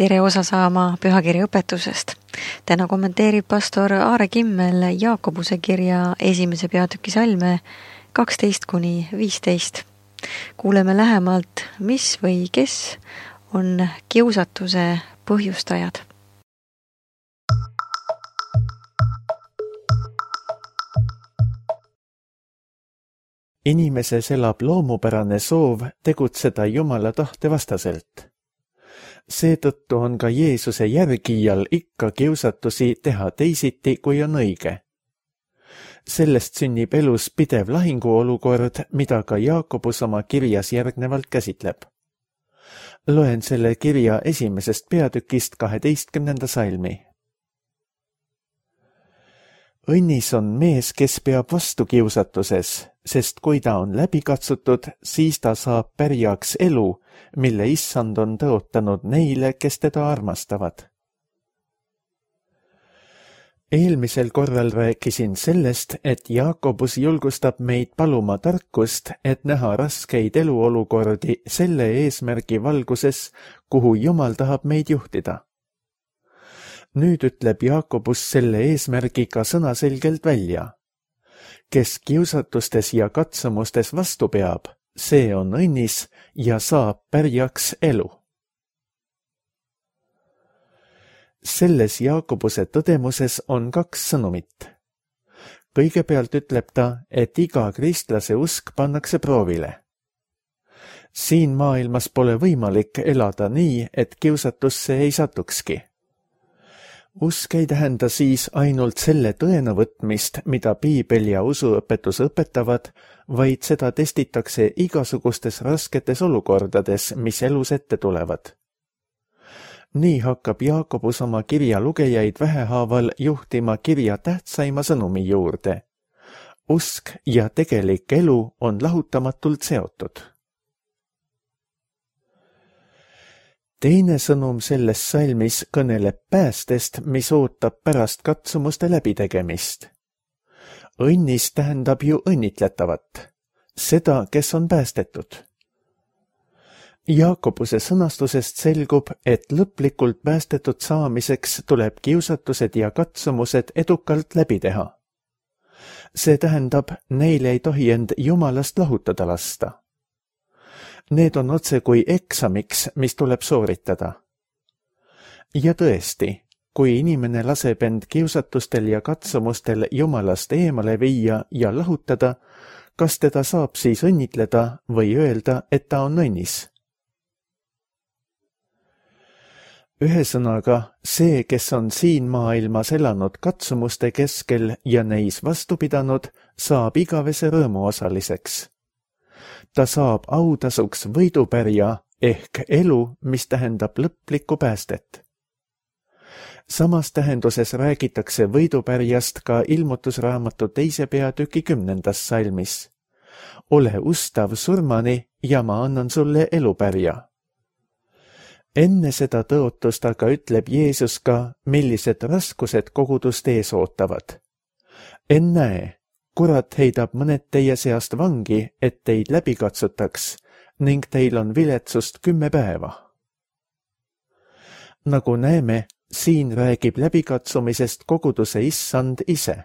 tere osa saama pühakirja õpetusest. Täna kommenteerib pastor Aare Kimmel Jaakobuse kirja 1. peatüki salme 12-15. Kuuleme lähemalt, mis või kes on kiusatuse põhjustajad. Inimeses elab loomupärane soov tegutseda Jumala tahte vastaselt. Seetõttu on ka Jeesuse järgijal ikka kiusatusi teha teisiti, kui on õige. Sellest sünnib elus pidev lahinguolukord, mida ka Jaakobus oma kirjas järgnevalt käsitleb. Loen selle kirja 1. peatükist 12. salmi. Õnnis on mees, kes peab vastu kiusatuses, sest kui ta on läbi katsutud, siis ta saab pärjaks elu, mille Issand on tõotanud neile, kes teda armastavad. Eelmisel korral rääkisin sellest, et Jaakobus julgustab meid paluma tarkust, et näha raskeid eluolukordi selle eesmärgi valguses, kuhu Jumal tahab meid juhtida. Nüüd ütleb Jaakobus selle eesmärgiga sõnaselgelt välja. Kes kiusatustes ja katsumustes vastu peab, see on õnnis ja saab pärjaks elu. Selles Jaakobuse tõdemuses on 2 sõnumit. Kõigepealt ütleb ta, et iga kristlase usk pannakse proovile. Siin maailmas pole võimalik elada nii, et kiusatusse ei satukski. Usk ei tähenda siis ainult selle tõena võtmist, mida piibel ja usuõpetus õpetavad, vaid seda testitakse igasugustes rasketes olukordades, mis elus ette tulevad. Nii hakkab Jaakobus oma kirja lugejaid vähehaaval juhtima kirja tähtsaima sõnumi juurde. Usk ja tegelik elu on lahutamatult seotud. Teine sõnum selles salmis kõneleb päästest, mis ootab pärast katsumuste läbitegemist. Õnnis tähendab ju õnnitletavat, seda, kes on päästetud. Jaakobuse sõnastusest selgub, et lõplikult päästetud saamiseks tuleb kiusatused ja katsumused edukalt läbi teha. See tähendab, neil ei tohi end Jumalast lahutada lasta. Need on otse kui eksamiks, mis tuleb sooritada. Ja tõesti, kui inimene laseb end kiusatustel ja katsumustel Jumalast eemale viia ja lahutada, kas teda saab siis õnnitleda või öelda, et ta on õnnis? Ühesõnaga, see, kes on siin maailmas elanud katsumuste keskel ja neis vastu pidanud, saab igavese rõõmu osaliseks. Ta saab autasuks võidupärja ehk elu, mis tähendab lõplikku päästet. Samas tähenduses räägitakse võidupärjast ka Ilmutusraamatu 2. peatüki 10. salmis. Ole ustav surmani ja ma annan sulle elupärja. Enne seda tõotust aga ütleb Jeesus ka, millised raskused kogudust ees ootavad. Ennäe, kurat heidab mõned teie seast vangi, et teid läbi katsutaks, ning teil on viletsust 10 päeva. Nagu näeme, siin räägib läbikatsumisest koguduse Issand ise.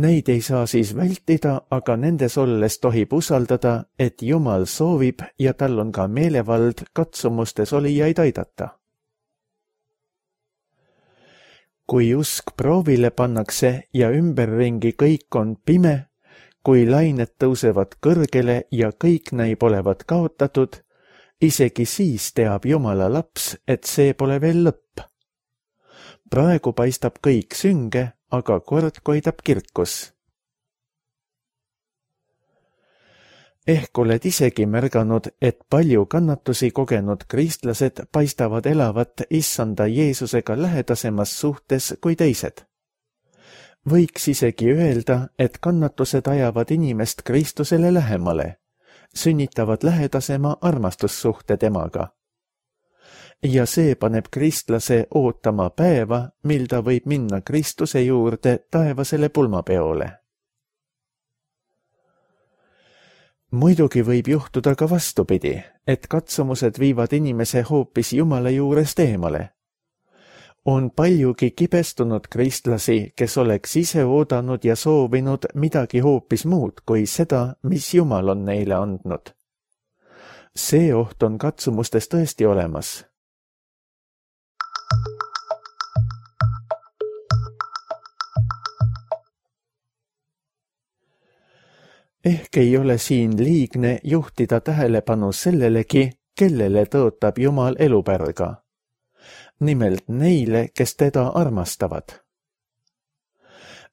Neid ei saa siis vältida, aga nendes olles tohib usaldada, et Jumal soovib ja tal on ka meelevald katsumustes olijaid aidata. Kui usk proovile pannakse ja ümberringi kõik on pime, kui lained tõusevad kõrgele ja kõik näib olevat kaotatud, isegi siis teab Jumala laps, et see pole veel lõpp. Praegu paistab kõik sünge, aga kord koidab kirkus. Ehk oled isegi märganud, et palju kannatusi kogenud kristlased paistavad elavat Issanda Jeesusega lähedasemas suhtes kui teised. Võiks isegi öelda, et kannatused ajavad inimest Kristusele lähemale, sünnitavad lähedasema armastussuhte temaga. Ja see paneb kristlase ootama päeva, mil ta võib minna Kristuse juurde taevasele pulmapeole. Muidugi võib juhtuda ka vastupidi, et katsumused viivad inimese hoopis Jumala juurest eemale. On paljugi kibestunud kristlasi, kes oleks ise oodanud ja soovinud midagi hoopis muud kui seda, mis Jumal on neile andnud. See oht on katsumustes tõesti olemas. Ehk ei ole siin liigne juhtida tähelepanu sellelegi, kellele tõotab Jumal elupärga. Nimelt neile, kes teda armastavad.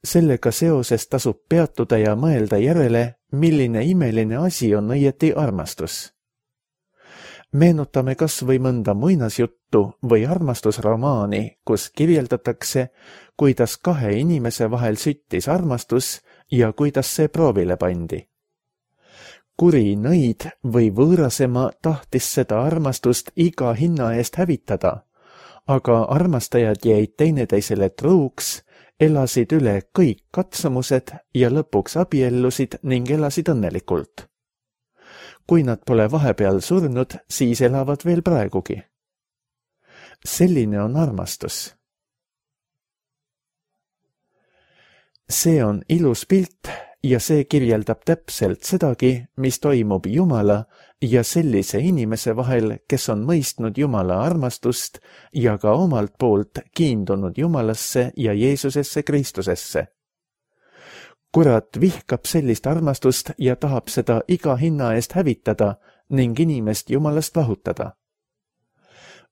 Sellega seoses tasub peatuda ja mõelda järele, milline imeline asi on õieti armastus. Meenutame kas või mõnda muinasjuttu või armastusromaani, kus kirjeldatakse, kuidas kahe inimese vahel süttis armastus ja kuidas see proovile pandi. Kuri nõid või võõrasema tahtis seda armastust iga hinna eest hävitada, aga armastajad jäid teineteisele truuks, elasid üle kõik katsumused ja lõpuks abiellusid ning elasid õnnelikult. Kui nad pole vahepeal surnud, siis elavad veel praegugi. Selline on armastus. See on ilus pilt ja see kirjeldab täpselt sedagi, mis toimub Jumala ja sellise inimese vahel, kes on mõistnud Jumala armastust ja ka omalt poolt kiindunud Jumalasse ja Jeesusesse Kristusesse. Kurat vihkab sellist armastust ja tahab seda iga hinna eest hävitada ning inimest Jumalast lahutada.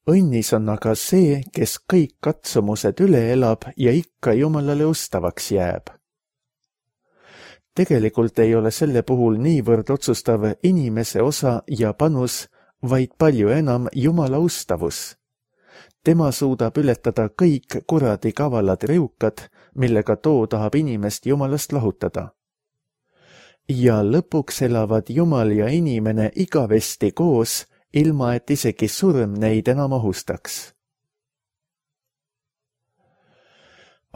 Õnnis on aga see, kes kõik katsumused üle elab ja ikka Jumalale ustavaks jääb. Tegelikult ei ole selle puhul niivõrd otsustav inimese osa ja panus, vaid palju enam Jumala ustavus. Tema suudab ületada kõik kuradi kavalad riukad, millega too tahab inimest Jumalast lahutada. Ja lõpuks elavad Jumal ja inimene igavesti koos, ilma et isegi surm neid enam ohustaks.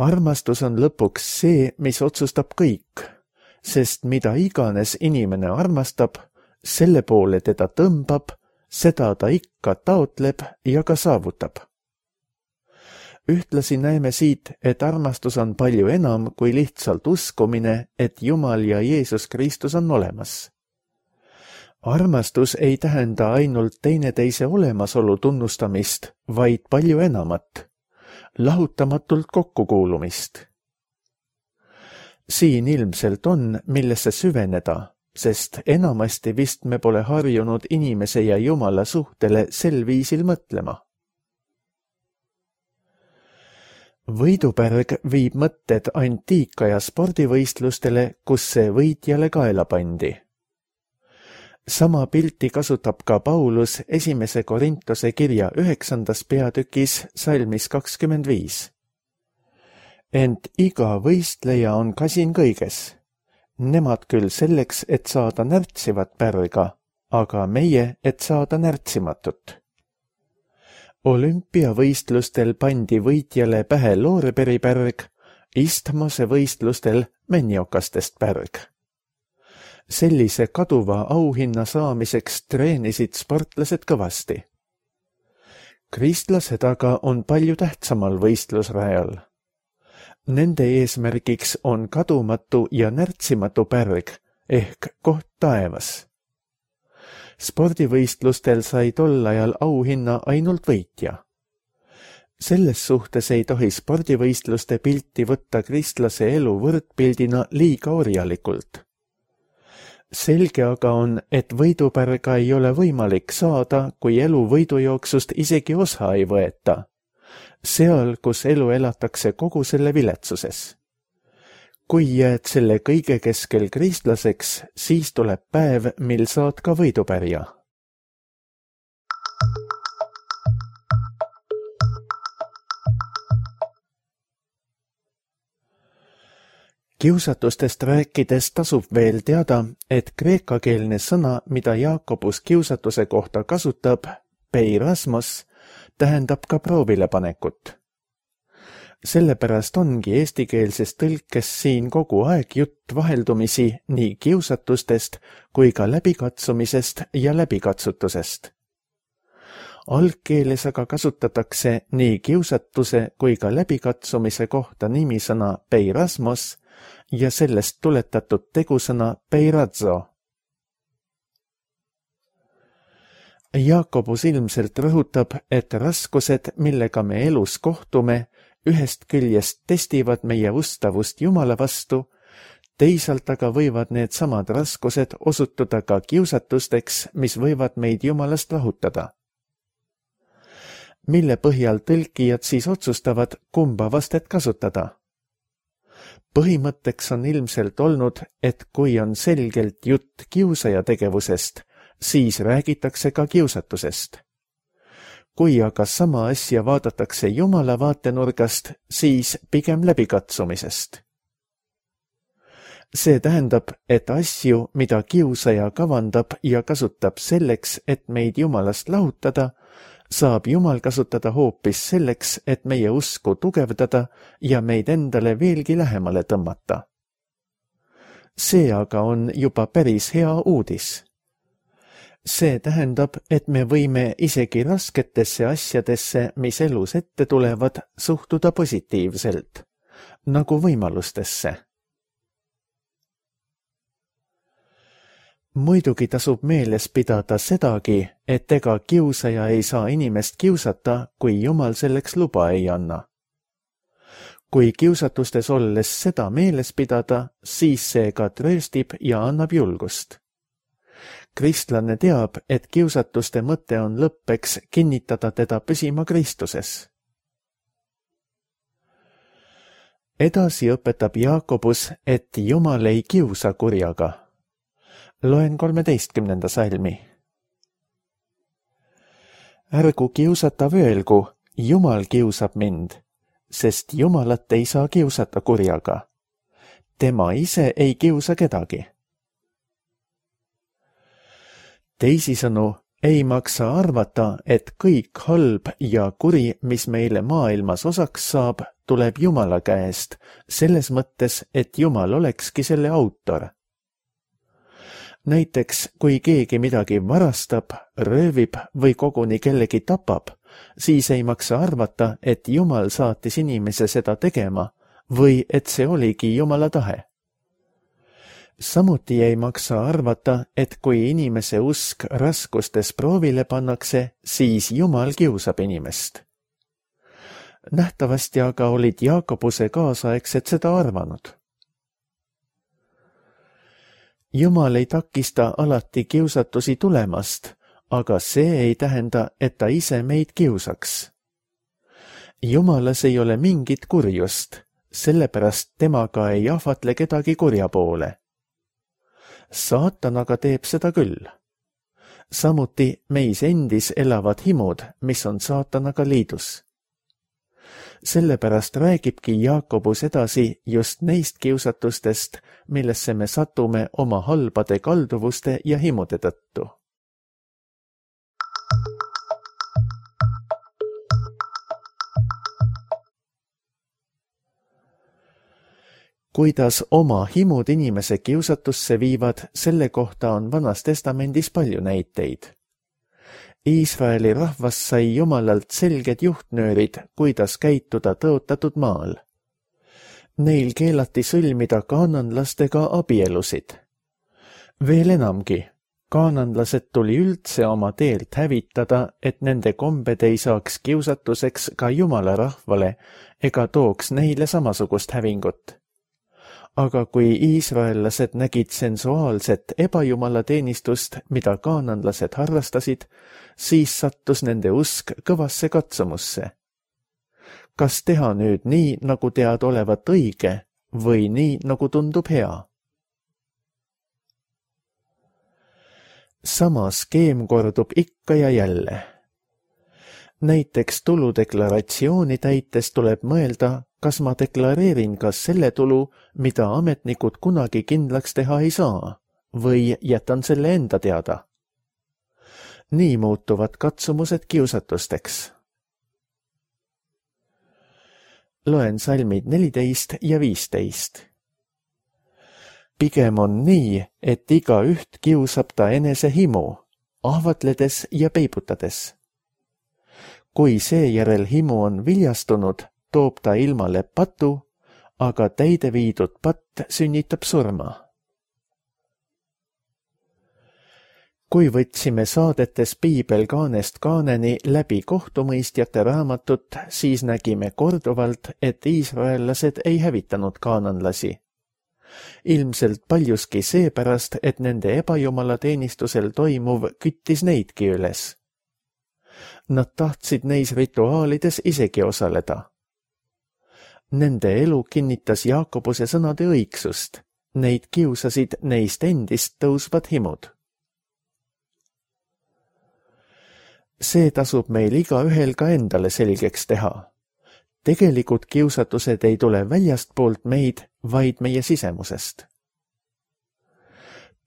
Armastus on lõpuks see, mis otsustab kõik, sest mida iganes inimene armastab, selle poole teda tõmbab, seda ta ikka taotleb ja ka saavutab. Ühtlasi näeme siit, et armastus on palju enam kui lihtsalt uskumine, et Jumal ja Jeesus Kristus on olemas. Armastus ei tähenda ainult teineteise olemasolu tunnustamist, vaid palju enamat, lahutamatult kokkukuulumist. Siin ilmselt on, millesse süveneda, sest enamasti vist me pole harjunud inimese ja Jumala suhtele sel viisil mõtlema. Võidupärg viib mõtted antiikaja spordivõistlustele, kus see võitjale kaela pandi. Sama pilti kasutab ka Paulus 1. Korintuse kirja 9. peatükis salmis 25. Ent iga võistleja on kasin kõiges. Nemad küll selleks, et saada närtsivat pärga, aga meie, et saada närtsimatut. Olümpiavõistlustel pandi võitjale pähe looreberipärg, istmose võistlustel männiokastest pärg. Sellise kaduva auhinna saamiseks treenisid sportlased kõvasti. Kristlased aga on palju tähtsamal võistlusrajal. Nende eesmärgiks on kadumatu ja närtsimatu pärg ehk koht taevas. Spordivõistlustel sai tol ajal auhinna ainult võitja. Selles suhtes ei tohi spordivõistluste pilti võtta kristlase elu võrdpildina liiga orjalikult. Selge aga on, et võidupärga ei ole võimalik saada, kui elu võidujooksust isegi osa ei võeta. Seal, kus elu elatakse kogu selle viletsuses. Kui jääd selle kõige keskel kristlaseks, siis tuleb päev, mil saad ka võidupärja. Kiusatustest rääkides tasub veel teada, et kreekakeelne sõna, mida Jaakobus kiusatuse kohta kasutab, peirasmos, tähendab ka proovilepanekut. Sellepärast ongi eestikeelses tõlkes siin kogu aeg jutt vaheldumisi nii kiusatustest kui ka läbikatsumisest ja läbikatsutusest. Algkeeles aga kasutatakse nii kiusatuse kui ka läbikatsumise kohta nimisõna peirasmos ja sellest tuletatud tegusõna peirazzo. Jaakobus ilmselt rõhutab, et raskused, millega me elus kohtume, ühest küljest testivad meie ustavust Jumala vastu, teisalt aga võivad need samad raskused osutuda ka kiusatusteks, mis võivad meid Jumalast lahutada. Mille põhjal tõlkijad siis otsustavad, kumba vastet kasutada? Põhimõtteks on ilmselt olnud, et kui on selgelt jutt kiusaja tegevusest, siis räägitakse ka kiusatusest. Kui aga sama asja vaadatakse Jumala vaatenurgast, siis pigem läbikatsumisest. See tähendab, et asju, mida kiusaja kavandab ja kasutab selleks, et meid Jumalast lahutada, saab Jumal kasutada hoopis selleks, et meie usku tugevdada ja meid endale veelgi lähemale tõmmata. See aga on juba päris hea uudis. See tähendab, et me võime isegi rasketesse asjadesse, mis elus ette tulevad, suhtuda positiivselt, nagu võimalustesse. Muidugi tasub meeles pidada sedagi, et ega kiusaja ei saa inimest kiusata, kui Jumal selleks luba ei anna. Kui kiusatustes olles seda meeles pidada, siis see ka trööstib ja annab julgust. Kristlane teab, et kiusatuste mõte on lõppeks kinnitada teda püsima Kristuses. Edasi õpetab Jaakobus, et Jumal ei kiusa kurjaga. Loen 13. salmi. Ärgu kiusatav öelgu, Jumal kiusab mind, sest Jumalat ei saa kiusata kurjaga. Tema ise ei kiusa kedagi. Teisisõnu, ei maksa arvata, et kõik halb ja kuri, mis meile maailmas osaks saab, tuleb Jumala käest, selles mõttes, et Jumal olekski selle autor. Näiteks, kui keegi midagi varastab, röövib või koguni kellegi tapab, siis ei maksa arvata, et Jumal saatis inimese seda tegema või et see oligi Jumala tahe. Samuti ei maksa arvata, et kui inimese usk raskustes proovile pannakse, siis Jumal kiusab inimest. Nähtavasti aga olid Jaakobuse kaasaegsed seda arvanud. Jumal ei takista alati kiusatusi tulemast, aga see ei tähenda, et ta ise meid kiusaks. Jumalas ei ole mingit kurjust, sellepärast temaga ei ahvatle kedagi kurja poole. Saatan aga teeb seda küll. Samuti meis endis elavad himud, mis on saatanaga liidus. Sellepärast räägibki Jaakobus edasi just neist kiusatustest, millesse me satume oma halbade kalduvuste ja himude tõttu. Kuidas oma himud inimese kiusatusse viivad, selle kohta on Vanas Testamendis palju näiteid. Iisraeli rahvas sai Jumalalt selged juhtnöörid, kuidas käituda tõotatud maal. Neil keelati sõlmida kaananlastega abielusid. Veel enamgi, kaananlased tuli üldse oma teelt hävitada, et nende kombed ei saaks kiusatuseks ka Jumala rahvale ega tooks neile samasugust hävingut. Aga kui iisraellased nägid sensuaalset ebajumalateenistust, mida kaananlased harrastasid, siis sattus nende usk kõvasse katsumusse. Kas teha nüüd nii, nagu tead olevat õige, või nii, nagu tundub hea? Sama skeem kordub ikka ja jälle. Näiteks tuludeklaratsiooni täites tuleb mõelda, kas ma deklareerin ka selle tulu, mida ametnikud kunagi kindlaks teha ei saa, või jätan selle enda teada. Nii muutuvad katsumused kiusatusteks. loen salmid 14 ja 15. Pigem on nii, et igaüht kiusab ta enese himu, ahvatledes ja peibutades. Kui seejärel himu on viljastunud, toob ta ilmale patu, aga täide viidud patt sünnitab surma. Kui võtsime saadetes Piibel kaanest kaaneni läbi kohtumõistjate raamatut, siis nägime korduvalt, et iisraellased ei hävitanud kaananlasi. Ilmselt paljuski seepärast, et nende ebajumalateenistusel toimuv küttis neidki üles. Nad tahtsid neis rituaalides isegi osaleda. Nende elu kinnitas Jaakobuse sõnade õigsust. Neid kiusasid neist endist tõusvad himud. See tasub meil igaühel ka endale selgeks teha. Tegelikud kiusatused ei tule väljastpoolt meid, vaid meie sisemusest.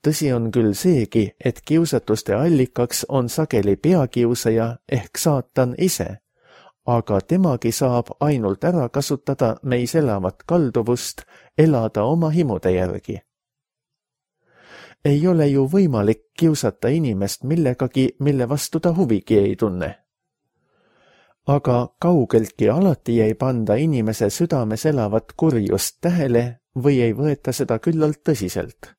Tõsi on küll seegi, et kiusatuste allikaks on sageli peakiusaja ehk saatan ise, aga temagi saab ainult ära kasutada meis elavat kalduvust elada oma himude järgi. Ei ole ju võimalik kiusata inimest millegagi, mille vastu ta huvigi ei tunne. Aga kaugeltki alati ei panda inimese südames elavat kurjust tähele või ei võeta seda küllalt tõsiselt.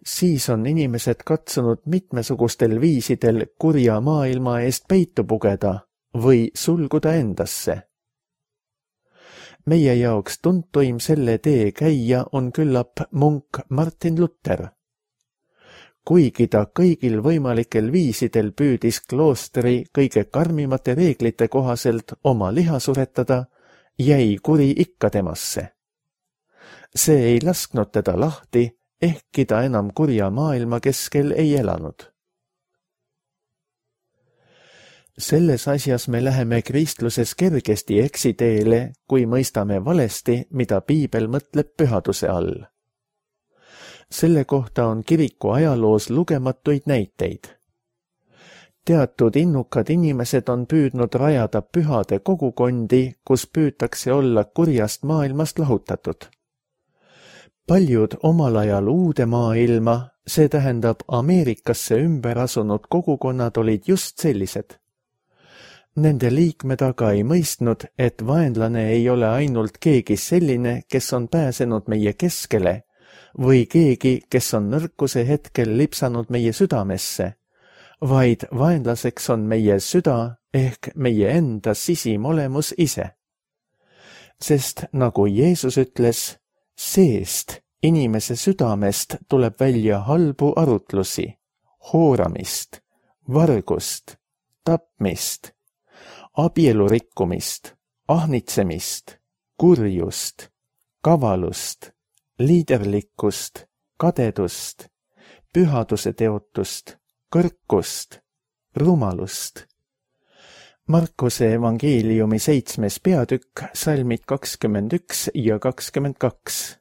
Siis on inimesed katsunud mitmesugustel viisidel kurja maailma eest peitu pugeda või sulguda endasse. Meie jaoks tuntuim selle tee käija on küllap munk Martin Luther. Kuigi ta kõigil võimalikel viisidel püüdis kloostri kõige karmimate reeglite kohaselt oma liha suretada, jäi kuri ikka temasse. See ei lasknud teda lahti, ehkki ta enam kurja maailma keskel ei elanud. Selles asjas me läheme kristluses kergesti eksiteele, kui mõistame valesti, mida Piibel mõtleb pühaduse all. Selle kohta on kiriku ajaloos lugematuid näiteid. Teatud innukad inimesed on püüdnud rajada pühade kogukondi, kus püütakse olla kurjast maailmast lahutatud. Paljud omal ajal uude maailma, see tähendab Ameerikasse ümber asunud kogukonnad olid just sellised. Nende liikmed aga ei mõistnud, et vaenlane ei ole ainult keegi selline, kes on pääsenud meie keskele, või keegi, kes on nõrkuse hetkel lipsanud meie südamesse, vaid vaenlaseks on meie süda ehk meie enda sisimolemus ise. Sest nagu Jeesus ütles, seest inimese südamest tuleb välja halbu arutlusi, hooramist, vargust, tapmist, abielurikkumist, ahnitsemist, kurjust, kavalust, liiderlikkust, kadedust, pühaduse teotust, kõrkust, rumalust. Markuse evangeeliumi 7. peatükk, salmid 21 ja 22.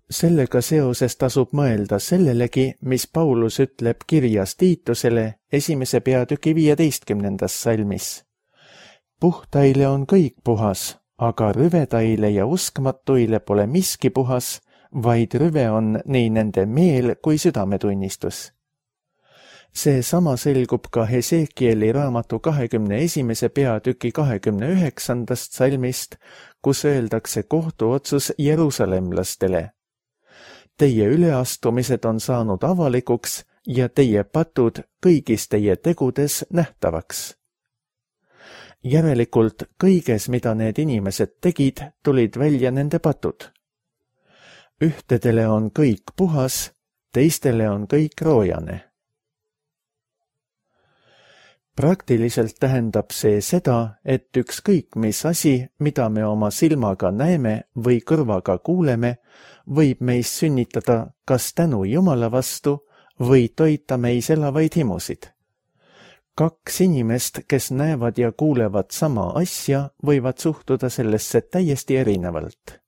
Sellega seoses tasub mõelda sellelegi, mis Paulus ütleb kirjas Tiitusele 1. peatüki 15. salmis. Puhtaile on kõik puhas, aga rüvedaile ja uskmatuile pole miski puhas, vaid rüve on nii nende meel kui südametunnistus. See sama selgub ka Hesekieli raamatu 21. peatüki 29. salmist, kus öeldakse kohtuotsus jerusalemlastele. Teie üleastumised on saanud avalikuks ja teie patud kõigis teie tegudes nähtavaks. Järelikult kõiges, mida need inimesed tegid, tulid välja nende patud. Ühtedele on kõik puhas, teistele on kõik roojane. Praktiliselt tähendab see seda, et ükskõik mis asi, mida me oma silmaga näeme või kõrvaga kuuleme, võib meis sünnitada kas tänu Jumala vastu või toita meis elavaid himusid. Kaks inimest, kes näevad ja kuulevad sama asja, võivad suhtuda sellesse täiesti erinevalt.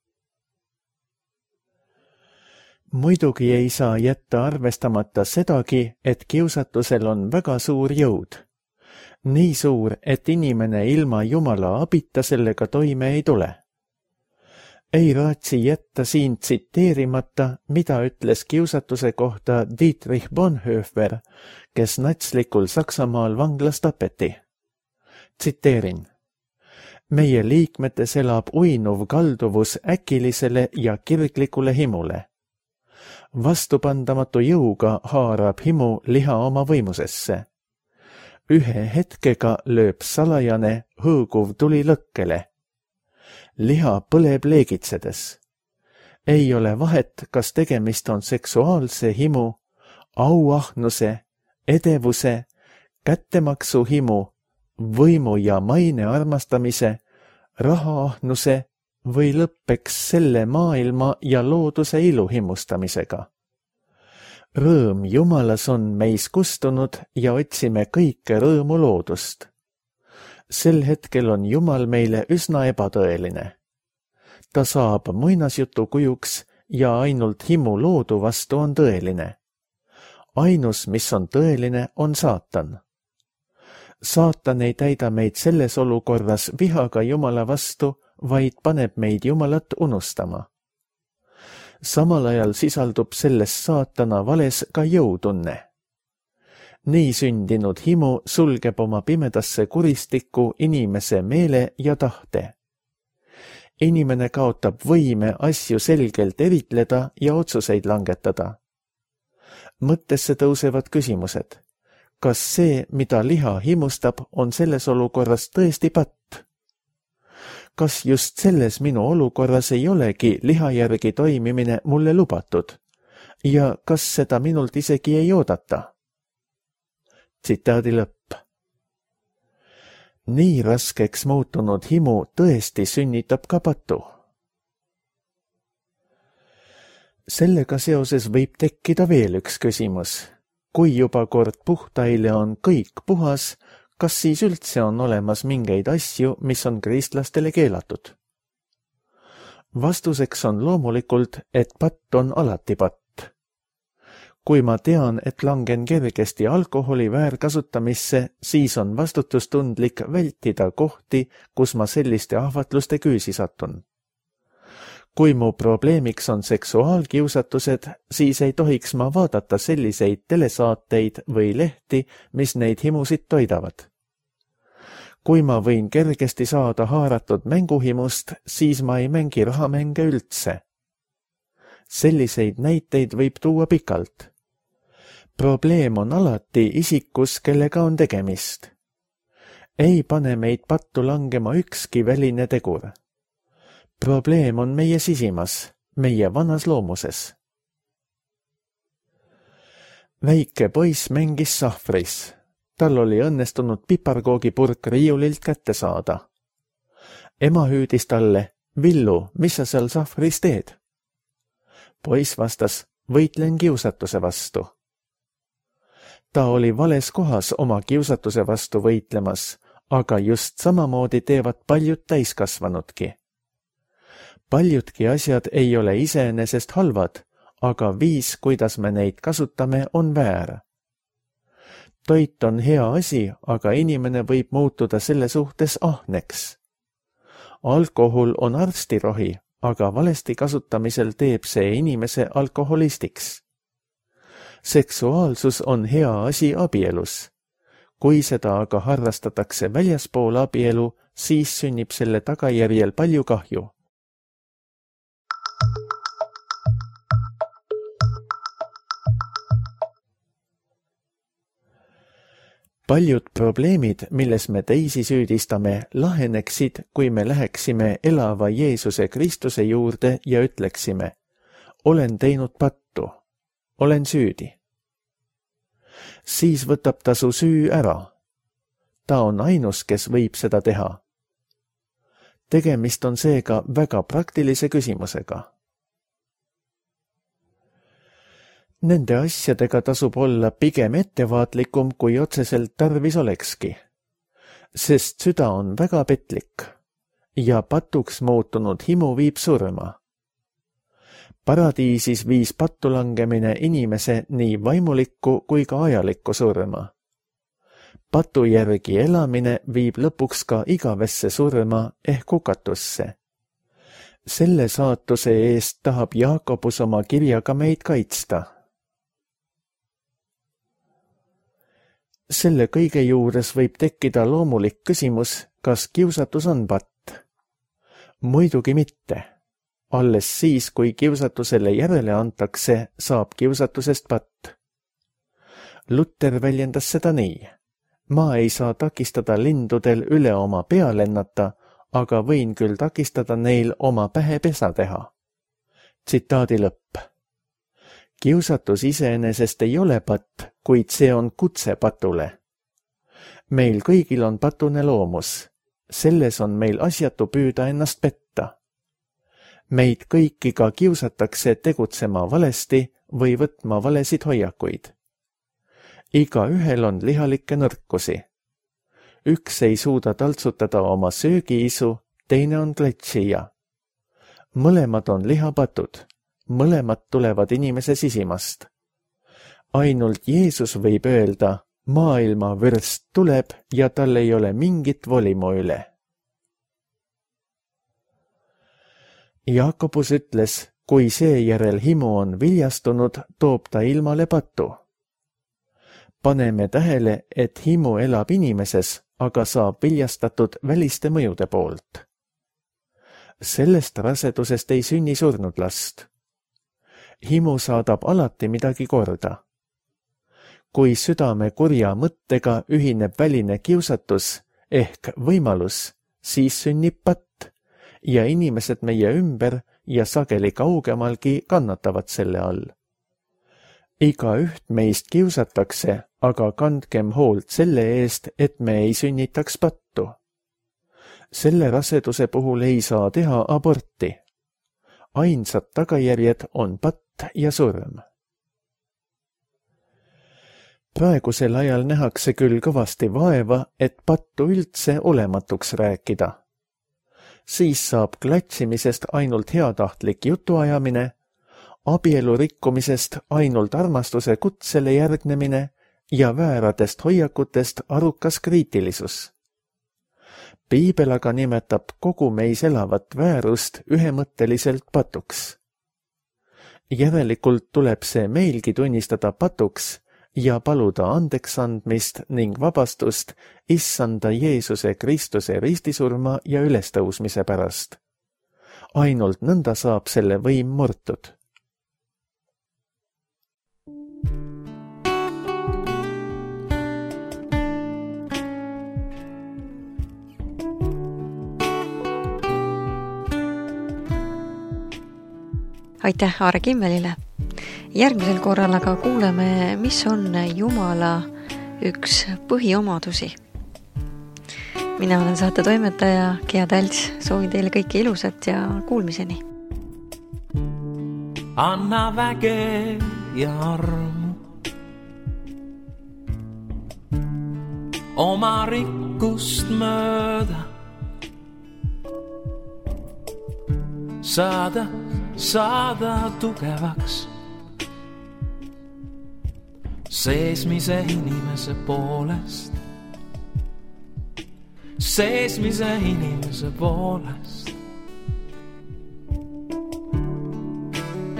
Muidugi ei saa jätta arvestamata sedagi, et kiusatusel on väga suur jõud. Nii suur, et inimene ilma Jumala abita sellega toime ei tule. Ei raatsi jätta siin tsiteerimata, mida ütles kiusatuse kohta Dietrich Bonhoeffer, kes natslikul Saksamaal vanglas tapeti. Tsiteerin. Meie liikmetes elab uinuv kalduvus äkilisele ja kirglikule himule. Vastupandamatu jõuga haarab himu liha oma võimusesse. Ühe hetkega lööb salajane hõõguv tuli lõkkele. Liha põleb leegitsedes. Ei ole vahet, kas tegemist on seksuaalse himu, auahnuse, edevuse, kättemaksu himu, võimu ja maine armastamise, rahaahnuse või lõppeks selle maailma ja looduse ilu himustamisega. Rõõm Jumalas on meis kustunud ja otsime kõike rõõmu loodust. Sel hetkel on Jumal meile üsna ebatõeline. Ta saab muinasjutu kujuks ja ainult himu loodu vastu on tõeline. Ainus, mis on tõeline, on saatan. Saatan ei täida meid selles olukorras vihaga Jumala vastu, vaid paneb meid Jumalat unustama. Samal ajal sisaldub selles saatana vales ka jõutunne. Nii sündinud himu sulgeb oma pimedasse kuristikku inimese meele ja tahte. Inimene kaotab võime asju selgelt eritleda ja otsuseid langetada. Mõttesse tõusevad küsimused. Kas see, mida liha himustab, on selles olukorras tõesti patt? Kas just selles minu olukorras ei olegi liha järgi toimimine mulle lubatud? Ja kas seda minult isegi ei oodata? Tsitaadi lõpp. Nii raskeks muutunud himu tõesti sünnitab ka patu. Sellega seoses võib tekkida veel üks küsimus. Kui juba kord puhtaile on kõik puhas, kas siis üldse on olemas mingeid asju, mis on kristlastele keelatud? Vastuseks on loomulikult, et patt on alati patt. Kui ma tean, et langen kergesti alkoholi väärkasutamisse, siis on vastutustundlik vältida kohti, kus ma selliste ahvatluste küüsi satun. Kui mu probleemiks on seksuaalkiusatused, siis ei tohiks ma vaadata selliseid telesaateid või lehti, mis neid himusid toidavad. Kui ma võin kergesti saada haaratud mänguhimust, siis ma ei mängi rahamänge üldse. Selliseid näiteid võib tuua pikalt. Probleem on alati isikus, kellega on tegemist. Ei pane meid pattu langema ükski väline tegur. Probleem on meie sisimas, meie vanas loomuses. Väike poiss mängis sahvris. Tal oli õnnestunud piparkoogipurk riiulilt kätte saada. Ema hüüdis talle, Villu, mis sa seal sahvris teed? Poiss vastas, võitlen kiusatuse vastu. Ta oli vales kohas oma kiusatuse vastu võitlemas, aga just samamoodi teevad paljud täiskasvanudki. Paljudki asjad ei ole iseenesest halvad, aga viis, kuidas me neid kasutame, on väär. Toit on hea asi, aga inimene võib muutuda selle suhtes ahneks. Alkohol on arstirohi, aga valesti kasutamisel teeb see inimese alkoholistiks. Seksuaalsus on hea asi abielus. Kui seda aga harrastatakse väljaspool abielu, siis sünnib selle tagajärjel palju kahju. Paljud probleemid, milles me teisi süüdistame, laheneksid, kui me läheksime elava Jeesuse Kristuse juurde ja ütleksime, olen teinud pattu, olen süüdi. Siis võtab ta su süü ära. Ta on ainus, kes võib seda teha. Tegemist on seega väga praktilise küsimusega. Nende asjadega tasub olla pigem ettevaatlikum, kui otseselt tarvis olekski, sest süda on väga petlik ja patuks muutunud himu viib surma. Paradiisis viis pattu langemine inimese nii vaimulikku kui ka ajalikku surma. Patu järgi elamine viib lõpuks ka igavesse surma ehk hukatusse. Selle saatuse eest tahab Jaakobus oma kirjaga meid kaitsta. Selle kõige juures võib tekkida loomulik küsimus, kas kiusatus on patt? Muidugi mitte. Alles siis, kui kiusatusele järele antakse, saab kiusatusest patt. Luther väljendas seda nii. Ma ei saa takistada lindudel üle oma pea lennata, aga võin küll takistada neil oma pähe pesa teha. Tsitaadi lõpp. Kiusatus iseenesest ei ole patt, kuid see on kutse patule. Meil kõigil on patune loomus. Selles on meil asjatu püüda ennast petta. Meid kõiki ka kiusatakse tegutsema valesti või võtma valesid hoiakuid. Igaühel on lihalikke nõrkusi. Üks ei suuda taltsutada oma söögiisu, teine on kletšija. Mõlemad on lihapatud, mõlemad tulevad inimese sisimast. Ainult Jeesus võib öelda, maailma vürst tuleb ja tal ei ole mingit volimu üle. Jaakobus ütles, kui seejärel himu on viljastunud, toob ta ilmale patu. Paneme tähele, et himu elab inimeses, aga saab viljastatud väliste mõjude poolt. Sellest rasedusest ei sünni surnud last. Himu saadab alati midagi korda. Kui südame kurja mõttega ühineb väline kiusatus ehk võimalus, siis sünnib patt ja inimesed meie ümber ja sageli kaugemalgi kannatavad selle all. Igaüht meist kiusatakse, aga kandkem hoolt selle eest, et me ei sünnitaks pattu. Selle raseduse puhul ei saa teha aborti. Ainsad tagajärjed on patt ja surm. Praegusel ajal nähakse küll kõvasti vaeva, et pattu üldse olematuks rääkida. Siis saab klatšimisest ainult heatahtlik jutuajamine, abielu rikkumisest ainult armastuse kutsele järgnemine ja vääradest hoiakutest arukas kriitilisus. Piibel aga nimetab kogu meis elavat väärust ühemõtteliselt patuks. Järelikult tuleb see meilgi tunnistada patuks ja paluda andeks andmist ning vabastust Issanda Jeesuse Kristuse ristisurma ja ülestõusmise pärast. Ainult nõnda saab selle võim murtud. Aitäh Aare Kimmelile! Järgmisel korral aga kuuleme, mis on Jumala üks põhiomadusi. Mina olen saate toimetaja Gea Tälts, soovin teile kõike ilusat ja kuulmiseni. Anna väge ja armu, oma rikkust mööda, saada tugevaks. Seesmise inimese poolest,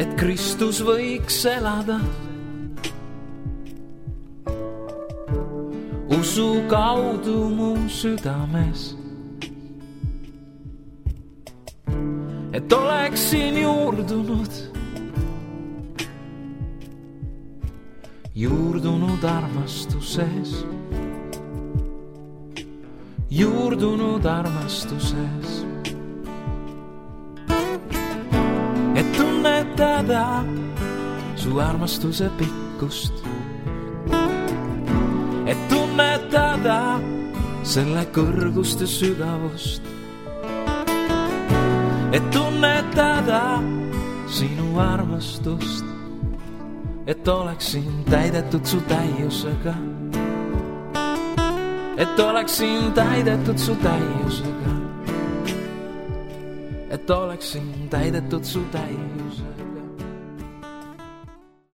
et Kristus võiks elada usu kaudu mu südames, et oleksin juurdunud armastuses, et tunnetada su armastuse pikkust, et tunnetada selle kõrgust ja sügavust, et tunnetada sinu armastust, et oleksin täidetud su täiusega, et oleksin täidetud su täiusega, et oleksin täidetud su täiusega.